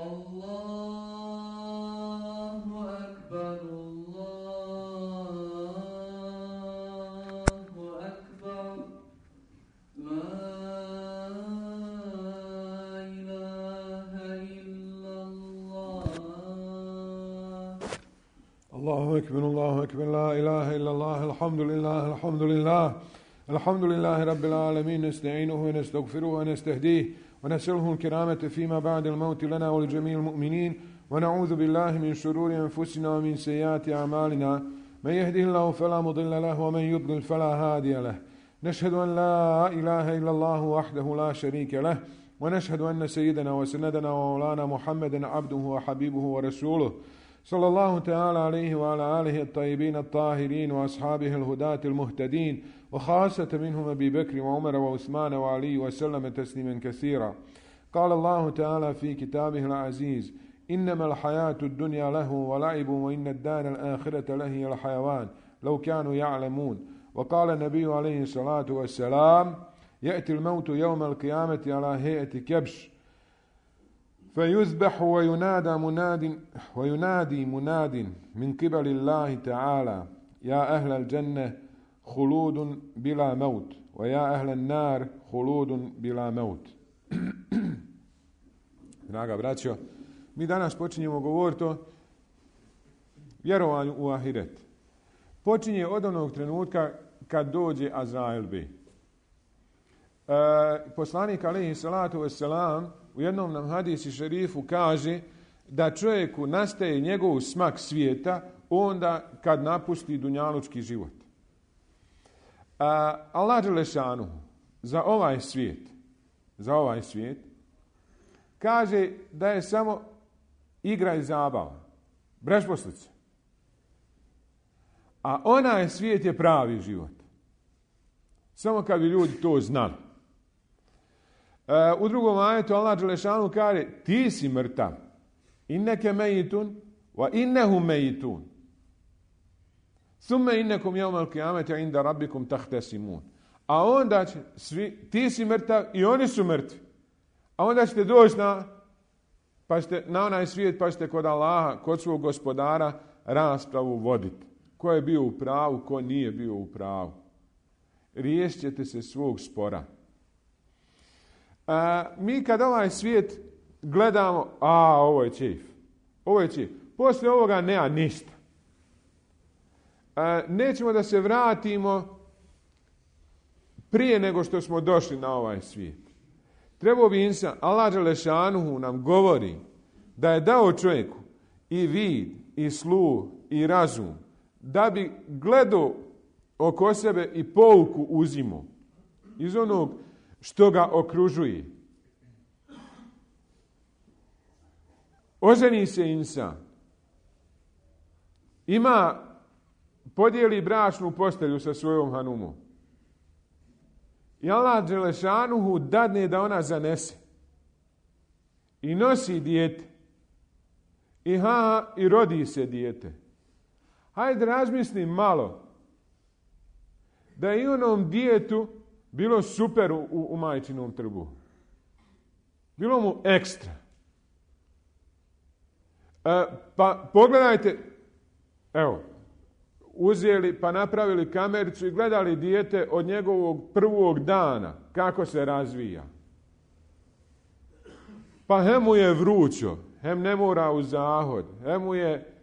الله أكبر الله أكبر لا إله إلا الله الحمد لله الحمد لله الحمد لله رب العالمين نستعينه ونستغفره ونستهديه ونسأله الكرامة فيما بعد الموت لنا ولجميع المؤمنين ونعوذ بالله من شرور أنفسنا ومن سيئات أعمالنا من يهده الله فلا مضل له ومن يضلل فلا هادي له نشهد أن لا إله إلا الله وحده لا شريك له ونشهد أن سيدنا وسندنا ومولانا محمدا عبده وحبيبه ورسوله صلى الله تعالى عليه وعلى آله الطيبين الطاهرين وأصحابه الهداة المهتدين وخاصة منهم أبي بكر وعمر وعثمان وعلي وسلم تسليما كثيرا. قال الله تعالى في كتابه العزيز إنما الحياة الدنيا له ولعب وإن الدار الآخرة لهي الحيوان لو كانوا يعلمون. وقال النبي عليه الصلاة والسلام يأتي الموت يوم القيامة على هيئة كبش فيذبح وينادي مناد من قبل الله تعالى يا أهل الجنة خلود بلا موت ويا أهل النار خلود بلا موت. Draga braćo, mi danas počinjemo govoriti o vjerovanju u ahiret. Počinje od onog trenutka kad dođe Azrail bi. Poslanik alejhi salatu vesselam u jednom nam hadisi šerifu kaže da čovjeku nastaje njegov smak svijeta onda kad napusti dunjalučki život. Allah dželešanu za ovaj svijet kaže da je samo igra i zabava, brešposlica. A onaj svijet je pravi život. Samo kad bi ljudi to znali. U drugom ajetu Allah dželešanu kaže ti si mrtav. Inneke mejitun wa innehum mejitun. Thumme innekum jevmal qiyameti inda rabbikum tahtesimun. A onda će ti si mrtav i oni su mrtvi. A onda ćete doći na onaj svijet pa ćete kod Allaha, kod svog gospodara raspravu voditi. Ko je bio u pravu, ko nije bio u pravu. Riješit ćete se svog spora. Mi kad ovaj svijet gledamo, ovo je čif. Poslije ovoga nema ništa. Nećemo da se vratimo prije nego što smo došli na ovaj svijet. Trebao bi insan, Allah dželešanuhu nam govori da je dao čovjeku i vid, i sluh, i razum, da bi gledao oko sebe i pouku uzimao iz onog što ga okružuje. Oženi se insan. Podijeli bračnu postelju sa svojom hanumom. I Allah dželešanuhu dadne da ona zanese. I nosi dijete. I rodi se dijete. Hajde razmislim malo da je i onom djetetu bilo super u majčinom trbuhu. Bilo mu ekstra. Pa pogledajte, evo, uzeli pa napravili kamericu i gledali dijete od njegovog prvog dana, kako se razvija. Pa hem mu je vrućo, hem ne mora u zahod, hem mu je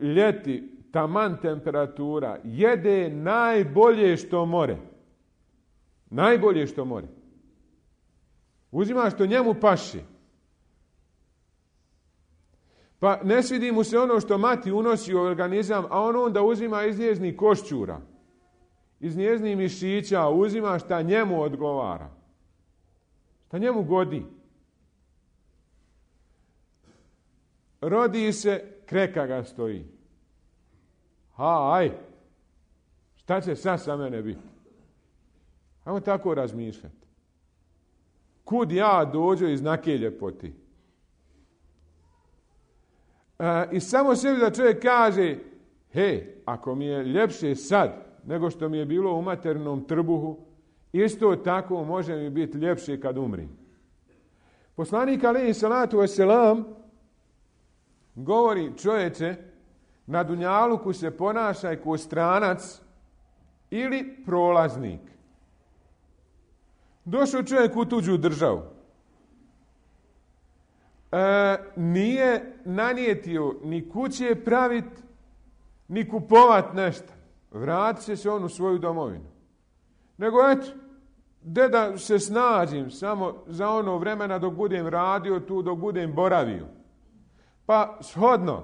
ljeti, taman temperatura, jede najbolje što more. Najbolje što more. Uzima što njemu paši. Pa ne svidi mu se ono što mati unosi u organizam, a on onda uzima iz njeznih košćura, iz njeznih mišića, uzima šta njemu odgovara. Šta njemu godi. Rodi se, kreka ga stoji. Šta će sad sa mene biti? Ajmo tako razmišljati. Kud ja dođu iz nake ljepoti? I samo sebi da čovjek kaže, ako mi je ljepše sad nego što mi je bilo u maternom trbuhu, isto tako može mi biti ljepše kad umrim. Poslanik alejhi salatu vesselam govori: čovječe, na dunjaluku se ponašaj kao stranac ili prolaznik. Došao čovjek u tuđu državu. Nije nanijetio ni kuće pravit, ni kupovat nešto. Vratit će se on u svoju domovinu. Nego eto, da se snađim samo za ono vremena dok budem radio tu, dok budem boravio. Pa shodno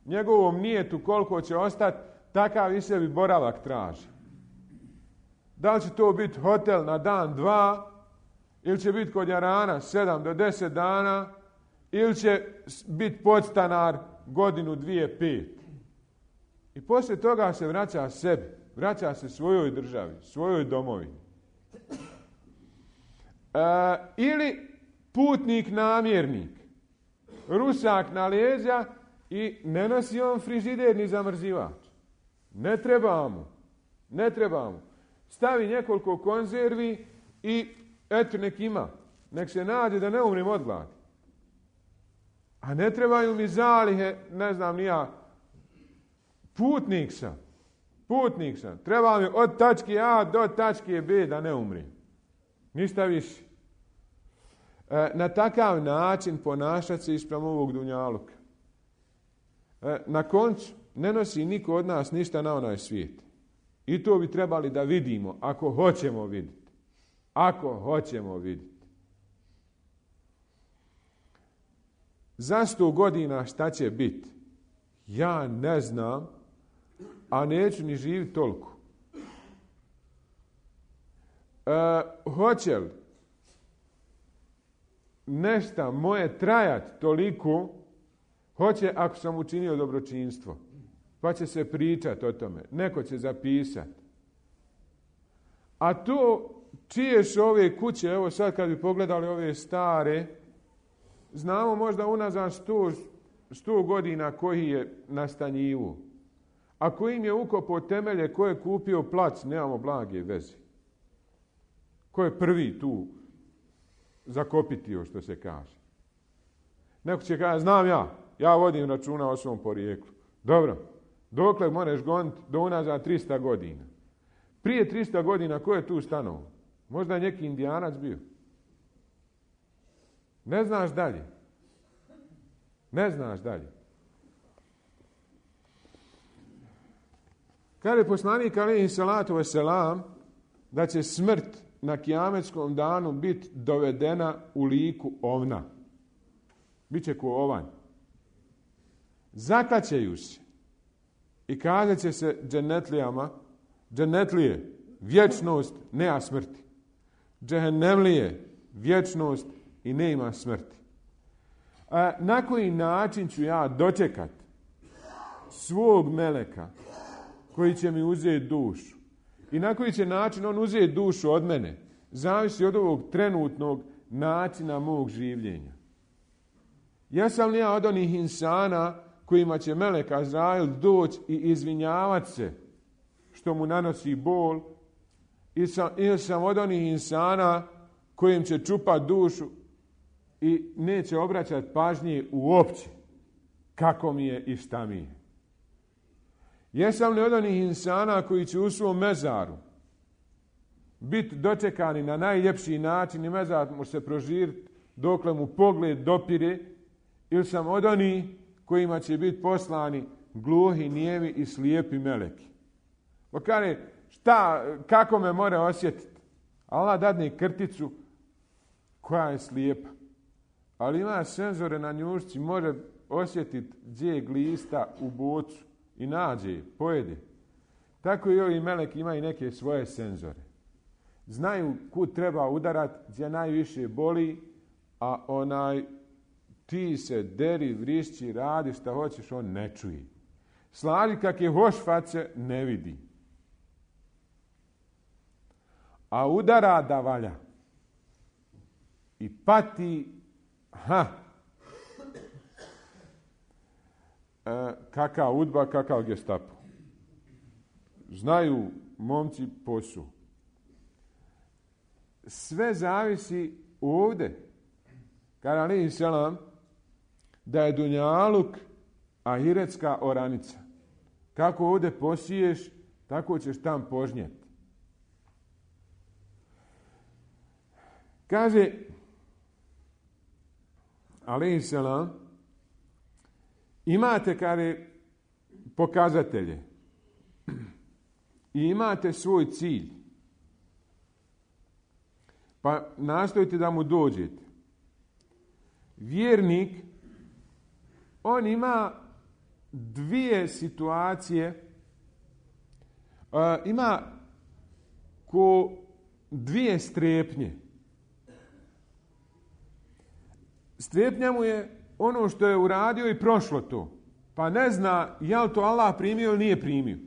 njegovom nijetu koliko će ostati, takav i sebi boravak traži. Da li će to biti hotel na dan, 2, ili će biti kod jarana 7 do 10 dana, ili će biti podstanar 1, 2, 5. I poslije toga se vraća sebi, vraća se svojoj državi, svojoj domovini. Ili putnik namjernik, rusak na leđa i ne nosi on frižider ni zamrzivač. Ne treba mu. Stavi nekoliko konzervi i eto nek ima. Nek se nađe da ne umrim od gladi. A ne trebaju mi zalihe, ne znam ni ja. Putnik sam. Treba mi od tačke A do tačke B da ne umrim. Ništa više. Na takav način ponašati se ispram ovog dunjaluka. Na koncu ne nosi niko od nas ništa na onaj svijet. I to bi trebali da vidimo, ako hoćemo vidjeti. Za 100 godina šta će biti? Ja ne znam, a neću ni živjeti toliko. Hoće li nešto moje trajati toliko? Hoće ako sam učinio dobročinstvo. Pa će se pričati o tome. Neko će zapisati. A to čije su ove kuće, evo sad kad bi pogledali ove stare, znamo možda unazad 100 godina koji je nastanjivo. A ko im je ukopao temelje, ko je kupio plac, nemamo blage veze. Ko je prvi tu zakopitio, što se kaže. Neko će kaže, znam ja vodim računa o svom porijeklu. Dobro, dokle možeš goniti do unazad 300 godina. Prije 300 godina ko je tu stanovao? Možda je neki Indijanac bio. Ne znaš dalje. Kaže poslanik alejhi salatu vesselam da će smrt na kijametskom danu biti dovedena u liku ovna. Biće ko ovanj. Zakaćeju se i kazat će se dženetlijama, dženetlije, vječnost, nema smrti. Džehennemlije, vječnost i nema smrti. Na koji način ću ja dočekati svog meleka koji će mi uzeti dušu i na koji će način on uzeti dušu od mene, zavisi od ovog trenutnog načina mog življenja. Jesam li ja od onih insana kojima će melek Azrail doći i izvinjavati se što mu nanosi bol, ili sam od onih insana kojim će čupati dušu i neće obraćati pažnje uopće kako mi je i šta mi je. Jesam li od onih insana koji će u svom mezaru biti dočekani na najljepši način i mezar može se prožiriti dokle mu pogled dopire, ili sam od onih kojima će biti poslani gluhi, nijemi i slijepi meleki. Pa kaže, kako me mora osjetiti? Allah dadne krticu koja je slijepa. Ali ima senzore na njušci, može osjetiti gdje je glista u bocu i nađe, pojede. Tako i ovi meleki imaju neke svoje senzore. Znaju kud treba udarati, gdje najviše boli, a ti se deri, vrišći, radi šta hoćeš, on ne čuje. Slaži kak je hoš face, ne vidi. A udara da valja. I pati, kakav udba, kakav gestapo. Znaju momci posao. Sve zavisi ovdje. Kaže alejhi selam da je dunjaluk ahiretska oranica. Kako ovdje posiješ, tako ćeš tam požnjeti. Kaže, alejhi selam, imate, kaže, pokazatelje i imate svoj cilj. Pa nastojite da mu dođete. Vjernik, on ima dvije situacije, ima ko dvije strepnje. Strepnja mu je ono što je uradio i prošlo to. Pa ne zna je li to Allah primio ili nije primio.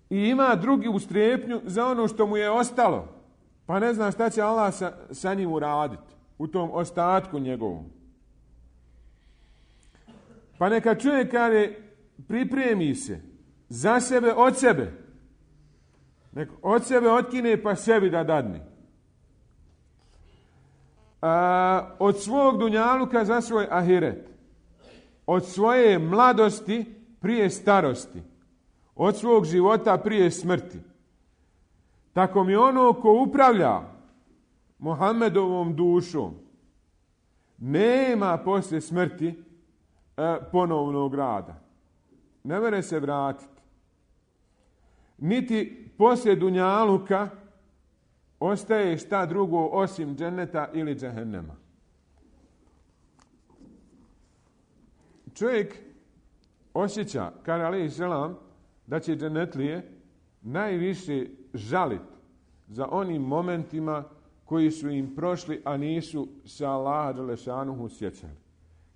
I ima drugu strepnju za ono što mu je ostalo. Pa ne zna šta će Allah sa njim uraditi u tom ostatku njegovom. Pa neka čovjek kaže, pripremi se za sebe, od sebe. Neka od sebe otkine pa sebi da dadne. Od svog dunjaluka za svoj ahiret. Od svoje mladosti prije starosti. Od svog života prije smrti. Tako mi ono ko upravlja Muhammedovom dušom nema poslije smrti ponovnog rada. Ne mere se vratiti. Niti poslije dunjaluka ostaje šta drugo osim dženeta ili džehennema. Čovjek osjeća, kaže alejhi selam, da će dženetlije najviše žalit za onim momentima koji su im prošli, a nisu se Allaha dželešanuhu sjećali.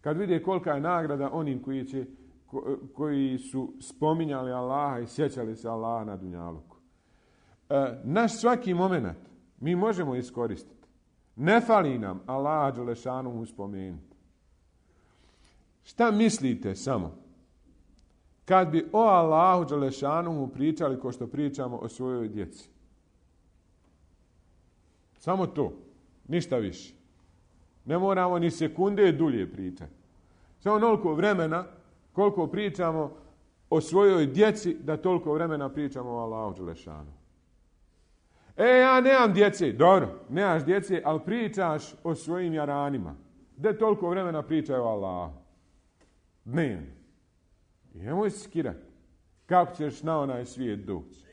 Kad vide kolika je nagrada onim koji su spominjali Allaha i sjećali se Allaha na dunjaluku. Naš svaki moment mi možemo iskoristiti. Ne fali nam Allaha dželešanuhu spomenuti. Šta mislite samo? Kad bi o Allahu dželešanuhu pričali ko što pričamo o svojoj djeci. Samo to. Ništa više. Ne moramo ni sekunde dulje pričati. Samo onoliko vremena koliko pričamo o svojoj djeci, da toliko vremena pričamo o Allahu dželešanuhu. Ja nemam djece. Dobro, nemaš djece, ali pričaš o svojim jaranima. Gdje toliko vremena pričaju o Allahu? Dnevno. I nemoj se skirati. Kako ćeš na onaj svijet doći?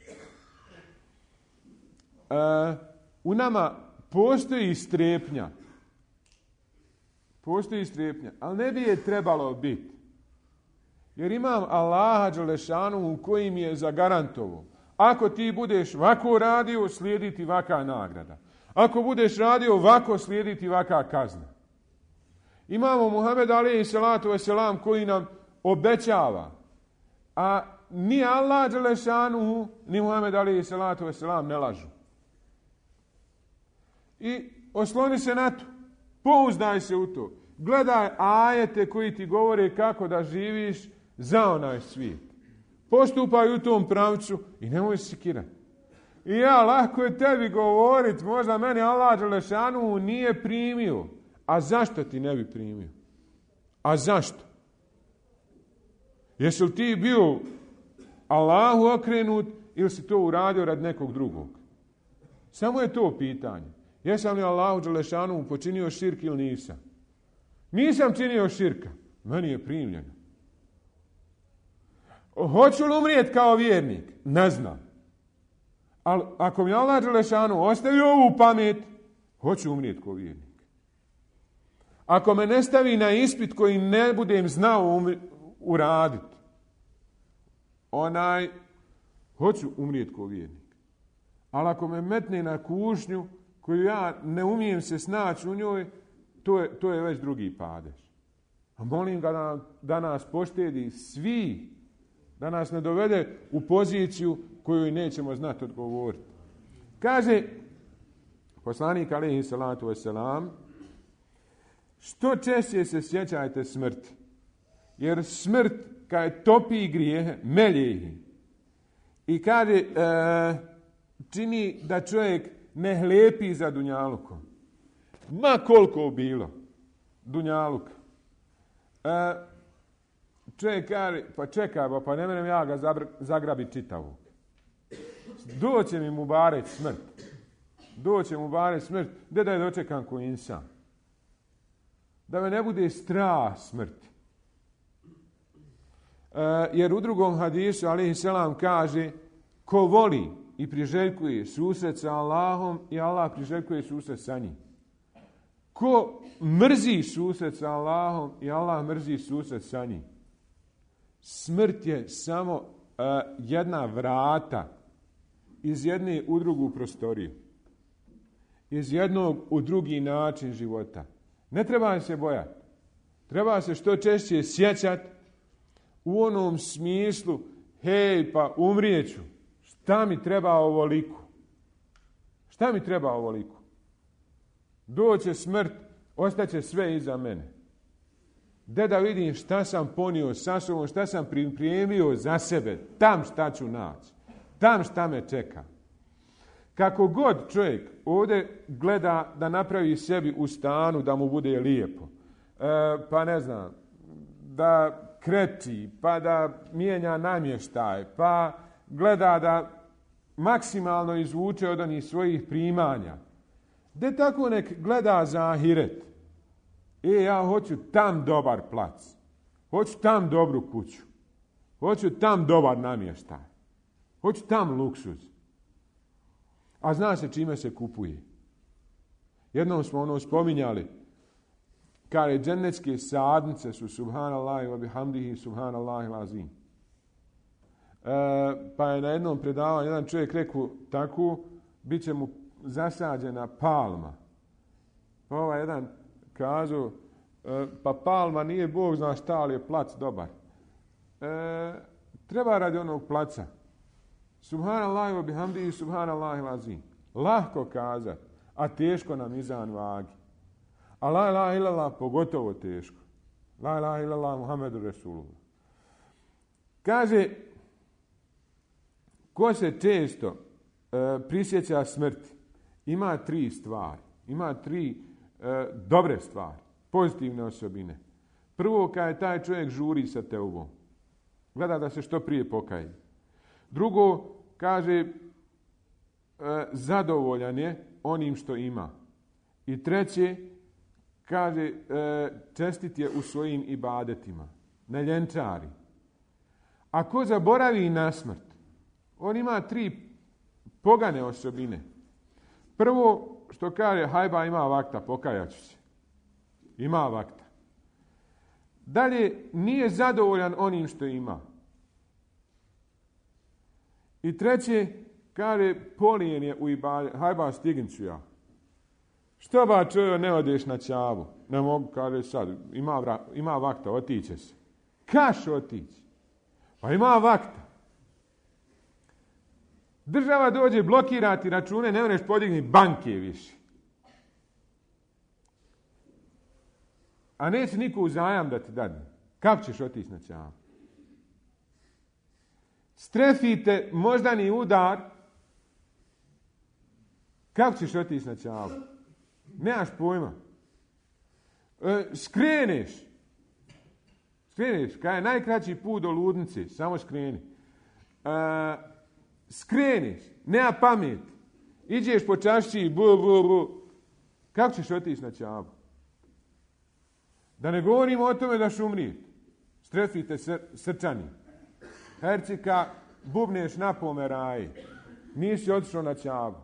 U nama postoji strepnja. Postoji strepnja, ali ne bi je trebalo biti. Jer imam Allaha dželešanuhu koji mi je zagarantovao. Ako ti budeš ovako radio, slijedi ti ovaka nagrada. Ako budeš radio ovako, slijedi ti ovaka kazna. Imamo Muhameda alejhi salatu vesselam koji nam obećava. A ni Allah dželešanuhu, ni Muhammed alejhi salatu vesselam ne lažu. I osloni se na to. Pouzdaj se u to. Gledaj ajete koji ti govore kako da živiš za onaj svijet. Postupaj u tom pravcu i nemoj se sekirati. I lako je tebi govoriti, možda meni Allah dželešanuhu nije primio. A zašto ti ne bi primio? A zašto? Jesi li ti bio Allahu okrenut ili si to uradio radi nekog drugog? Samo je to pitanje. Jesam li Allahu dželešanuhu počinio širk ili nisam? Nisam činio širka. Meni je primljeno. Hoću li umrijeti kao vjernik? Ne znam. Ali ako mi Allah dželešanuhu ostavio ovu pamet, hoću umrijeti kao vjernik. Ako me ne stavi na ispit koji ne budem znao uraditi, hoću umrijeti kao vjernik. Ali ako me metne na kušnju koju ja ne umijem se snaći u njoj, to je već drugi padež. A molim ga da nas poštedi svi, da nas ne dovede u poziciju koju nećemo znati odgovoriti. Kaže poslanik alejhi salatu vesselam, što češće se sjećajte smrti, jer smrt kad topi grijehe, melje ih. I kaže, čini da čovjek ne hlepi za dunjalukom. Ma koliko bilo dunjaluka. čovjek kaže, pa čekaj, pa ne menem ja ga zagrabiti čitavog. Doće mi Mubarek smrt. Doće Mubarek smrt. Gdje da je dočekam ko insan? Da me ne bude strah smrti. Jer u drugom hadisu, alejhi selam, kaže, ko voli i priželjkuje susret sa Allahom i Allah priželjkuje susret sa njim. Ko mrzi susret sa Allahom i Allah mrzi susret sa njim. Smrt je samo jedna vrata iz jedne u drugu prostoriju. Iz jednog u drugi način života. Ne treba se bojati. Treba se što češće sjećati u onom smislu, hej, pa umrijeću. Šta mi treba ovoliko? Šta mi treba ovoliko? Doće smrt, ostaće sve iza mene. Gde da vidim šta sam ponio sa sobom, šta sam pripremio za sebe, tam šta ću naći, tam šta me čeka. Kako god čovjek ovdje gleda da napravi sebi u stanu da mu bude lijepo, pa ne znam, da kreti, pa da mijenja namještaj, pa gleda da maksimalno izvuče od onih svojih primanja. Gde tako nek gleda za ahiret. Ja hoću tam dobar plac. Hoću tam dobru kuću. Hoću tam dobar namještaj. Hoću tam luksuz. A zna se čime se kupuje. Jednom smo spominjali. Kaže, džennetske sadnice su subhanallahi wa bihamdihi subhanallahi lazim. Pa je na jednom predavanju jedan čovjek rekao tako, bit će mu zasađena palma. Pa ovaj jedan kazao, pa palma nije Bog zna šta, ali je plac dobar. Treba radi onog placa. Subhanallahi wa bihamdihi subhanallahi lazim. Lahko kazat, a teško na mizan vagi. A la ilaha illallah pogotovo teško. La ilaha illallah Muhammedu Resulullah. Kaže, ko se često prisjeća smrti, ima 3 stvari. Ima 3 dobre stvari, pozitivne osobine. Prvo, kada taj čovjek žuri sa teubom. Gleda da se što prije pokaje. Drugo, kaže, zadovoljan je onim što ima. I treće, kaže, čestit je u svojim ibadetima. Ne ljenčari. Ako zaboravi na smrt, on ima 3 pogane osobine. Prvo, što kaže, hajba ima vakta, pokajaću se. Ima vakta. Dalje, nije zadovoljan onim što ima. I treće, kaže, polijen je u ibadetu. Hajba, stigin ću ja. Što ba čovjek ne odeš na Čavu? Ne mogu, kaže sad, ima vakta, otiće se. Kaš otići? Pa ima vakta. Država dođe blokirati račune, ne možeš podigni banke više. A neće niko uzajam da ti dadne. Kako ćeš otići na Čavu? Strefite moždani udar. Kako ćeš otići na Čavu? Nemaš pojma. Skreneš, kada je najkraći put do ludnice, samo skreni. Skreneš, nema pamet. Iđeš po čašći i kako ćeš otići na Čavu? Da ne govorimo o tome da ćeš umrijeti. Strefite srčani. Hercika, bubneš na pomeraji. Nisi otišao na Čavu.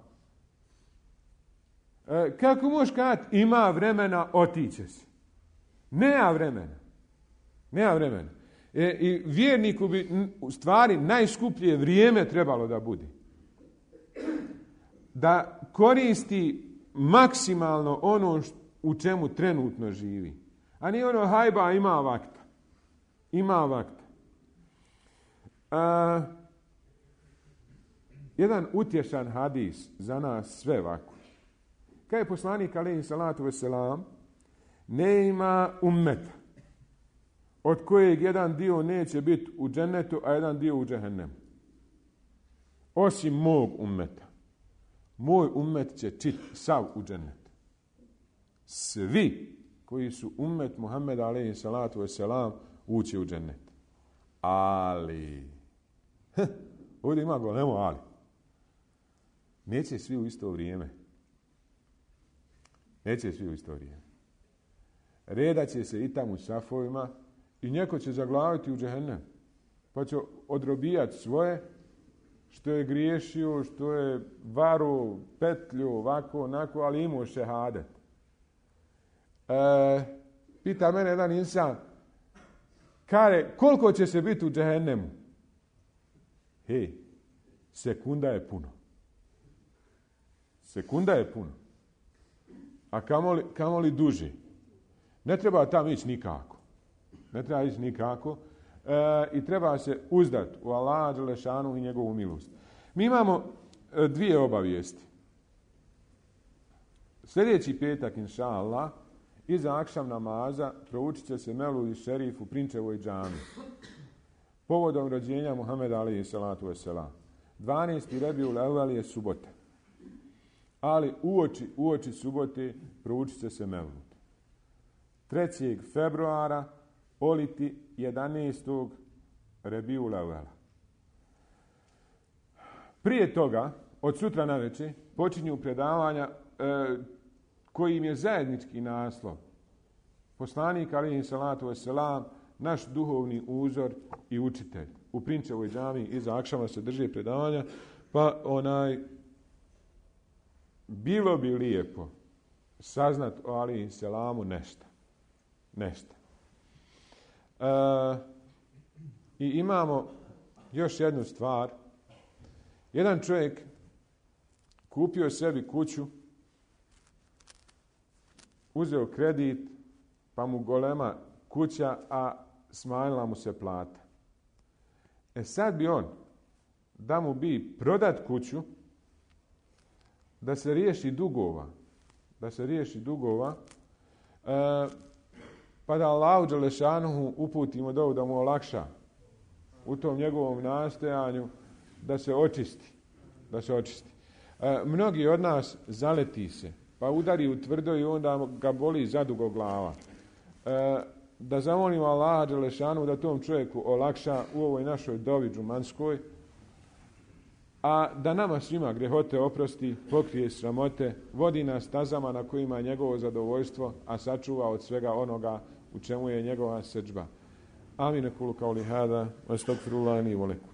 Kako možeš kazati, ima vremena, otiće se. Nema vremena. I vjerniku bi u stvari najskuplje vrijeme trebalo da bude. Da koristi maksimalno ono u čemu trenutno živi. A nije ono hajba, ima vakta. Jedan utješan hadis za nas sve ovako. Kad je poslanik alejhi salatu vesselam, ne ima ummeta od kojeg jedan dio neće biti u džennetu, a jedan dio u džehennemu. Osim mog ummeta. Moj ummet će sav u džennet. Svi koji su ummet Muhammeda alejhi salatu vesselam ući u džennet. Ali, ovdje ima golemo ali. Neće svi u isto vrijeme. Neće svi u isto vrijeme. Redat će se i tamo u safovima i neko će zaglaviti u džehennem. Pa će odrobijati svoje, što je griješio, što je varu, petlju, ovako, onako, ali imao šehadet. Pita mene jedan insan, kare, koliko će se biti u džehennemu? Hej, sekunda je puno. Sekunda je puno. A kamoli duže. Ne treba tam ići nikako. Ne treba ići nikako. I treba se uzdati u Allaha dželešanu i njegovu milost. Mi imamo dvije obavijesti. Sljedeći petak, inša Allah, iza akšam namaza proučit će se Mevludi šerif u Prinčevoj džami. Povodom rođenja Muhameda alejhi salatu vesselam. 12. Rebiul Evvel je subota. Ali uoči subote proučit će se Mevlud. 3. februara oliti 11. Rebiul Evvela. Prije toga, od sutra navečer, počinju predavanja kojim je zajednički naslov. Poslanik alejhi salatu vesselam, naš duhovni uzor i učitelj. U Prinčevoj džami iza akšama se drže predavanja, pa bilo bi lijepo saznat o alejhi selamu nešto. I imamo još jednu stvar. Jedan čovjek kupio sebi kuću, uzeo kredit, pa mu golema kuća, a smanjila mu se plata. Sad bi on, da mu bi prodat kuću, da se riješi dugova, pa da Allahu dželešanuhu uputimo dovu da mu olakša u tom njegovom nastojanju da se očisti. Mnogi od nas zaleti se, pa udari u tvrdo i onda ga boli zadugo glava. Da zamolimo Allaha dželešanu da tom čovjeku olakša u ovoj našoj dovi džumanskoj, a da nama svima grehote oprosti, pokrije sramote, vodi nas stazama na kojima je njegovo zadovoljstvo, a sačuva od svega onoga u čemu je njegova sedžba. Amin, kulu kauli hada, astagfirullahi li wa lakum.